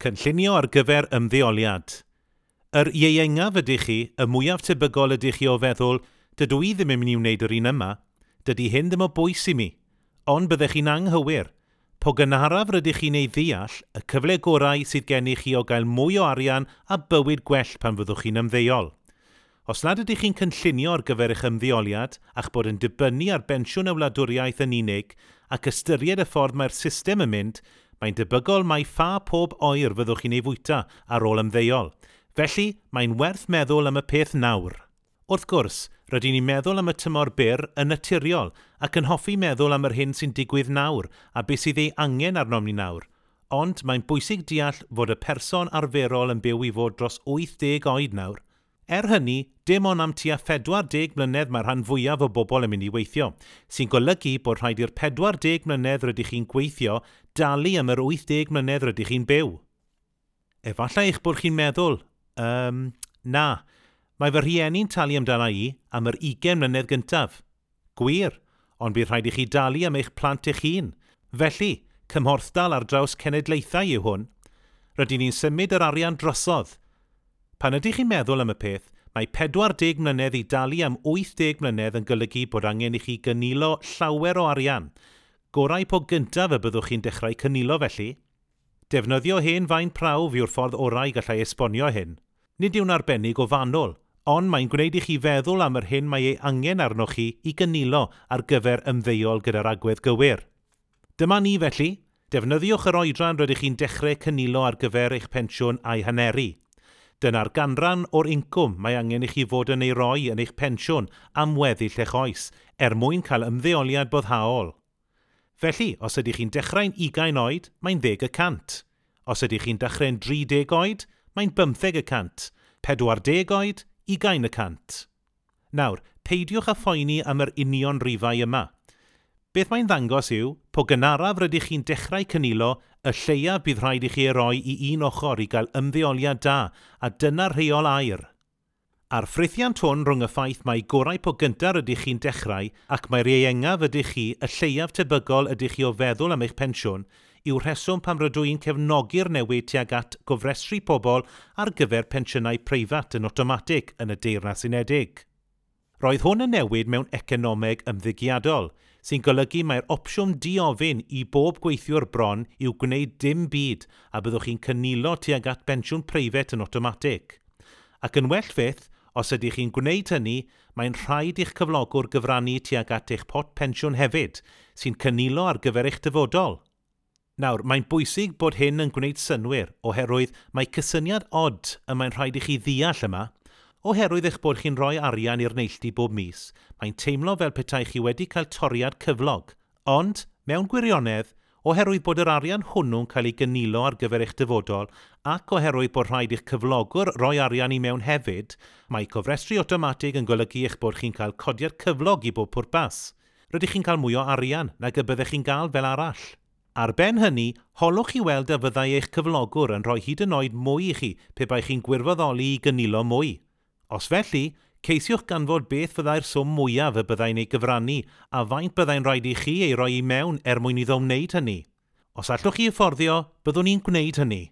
Cynllunio ar gyfer ymddeoliad. Yr ieuengaf ydych chi, y mwyaf tebygol ydych chi o feddwl, "Dydw i ddim yn mynd i wneud yr un yma, dydy hyn ddim o bwys i mi." Ond byddech chi'n anghywir. Po gynharaf rydych chi'n ei ddeall, y cyfle gorau sydd gennych chi o gael mwy o arian a bywyd gwell pan fyddwch chi'n ymddeol. Os nad ydych chi'n cynllunio ar gyfer eich ymddeoliad a'ch bod yn dibynnu ar bensiwn y wladwriaeth yn unig ac ystyried y ffordd mae'r system yn mynd, mae'n debygol mai ffa pob oer fyddwch chi'n ei fwyta ar ôl ymddeol. Felly, mae'n werth meddwl am y peth nawr. Wrth gwrs, rydyn ni'n meddwl am y tymor byr yn naturiol ac yn hoffi meddwl am yr hyn sy'n digwydd nawr a beth sydd ei angen arnom ni nawr. Ond mae'n bwysig deall fod y person arferol yn byw i fod dros 80 oed nawr. Er hynny, dim ond am tua 40 mlynedd mae'r rhan fwyaf o bobl yn mynd i weithio, sy'n golygu bod rhaid i'r 40 mlynedd rydych chi'n gweithio dalu am yr 80 mlynedd rydych chi'n byw. Efallai eich bod chi'n meddwl, na, mae fy rhieni'n talu amdana i am yr 20 mlynedd gyntaf. Gwir, ond bydd rhaid i chi dalu am eich plant eich hun. Felly, cymhorthdal ar draws cenedlaethau yw hwn. Rydyn ni'n symud yr arian drosodd. Pan ydych chi'n meddwl am y peth, mae 40 mlynedd i dalu am 80 mlynedd yn golygu bod angen i chi gynilo llawer o arian. Gorau po gyntaf y byddwch chi'n dechrau cynilo felly. Defnyddio hen faen prawf yw'r ffordd orau gallai esbonio hyn. Nid yw'n arbennig o fanwl, ond mae'n gwneud i chi feddwl am yr hyn mae ei angen arnoch chi i gynilo ar gyfer ymddeol gyda'r agwedd gywir. Dyma ni felly. Defnyddiwch yr oedran rydych chi'n dechrau cynilo ar gyfer eich pensiwn a'i haneru. Dyna'r ganran o'r incwm mae angen i chi fod yn ei roi yn eich pensiwn am weddill eich oes, er mwyn cael ymddeoliad boddhaol. Felly, os ydych chi'n dechrau'n 20 oed, mae'n 10%. Os ydych chi'n dechrau'n 30 oed, mae'n 15%. 40 oed, 20%. Nawr, peidiwch â phoeni am yr union rifau yma. Beth mae'n ddangos yw, po gynharaf rydych chi'n dechrau cynilo, y lleiaf bydd rhaid i chi ei roi i un ochr i gael ymddeoliad da, a dyna'r rheol aur. A'r ffrithiant hwn rhwng y ffaith mai gorau po gyntaf rydych chi'n dechrau ac mai'r ieuengaf ydych chi, y lleiaf tebygol ydych chi o feddwl am eich pensiwn, yw'r rheswm pam rydw i'n cefnogi'r newid tuag at gofrestru pobl ar gyfer pensiynau preifat yn awtomatig yn y Deyrnas Unedig. Roedd hwn yn newid mewn economeg ymddygiadol, sy'n golygu mai'r opsiwn diofyn i bob gweithiwr bron yw gwneud dim byd a byddwch chi'n cynilo tuag at bensiwn preifat yn awtomatig. Ac yn well fyth, os ydych chi'n gwneud hynny, mae'n rhaid i'ch cyflogwr gyfrannu tuag at eich pot pensiwn hefyd, sy'n cynilo ar gyfer eich dyfodol. Nawr, mae'n bwysig bod hyn yn gwneud synnwyr, oherwydd mae cysyniad od y mae'n rhaid i chi ddeall yma. Oherwydd eich bod chi'n rhoi arian i'r neilltu bob mis, mae'n teimlo fel petai chi wedi cael toriad cyflog. Ond, mewn gwirionedd, oherwydd bod yr arian hwnnw'n cael ei gynilo ar gyfer eich dyfodol ac oherwydd bod rhaid i'ch cyflogwr roi arian i mewn hefyd, mae cofrestru awtomatig yn golygu eich bod chi'n cael codiad cyflog i bob pwrpas. Rydych chi'n cael mwy o arian nag y byddech chi'n gael fel arall. Ar ben hynny, holwch i weld a fyddai eich cyflogwr yn rhoi hyd yn oed mwy i chi pe bai chi'n gwirfoddoli i gynilo mwy. Os felly, ceisiwch ganfod beth fyddai'r swm mwyaf y byddai'n ei gyfrannu a faint byddai'n rhaid i chi ei roi i mewn er mwyn iddo wneud hynny. Os allwch chi hyfforddio, byddwn ni'n gwneud hynny.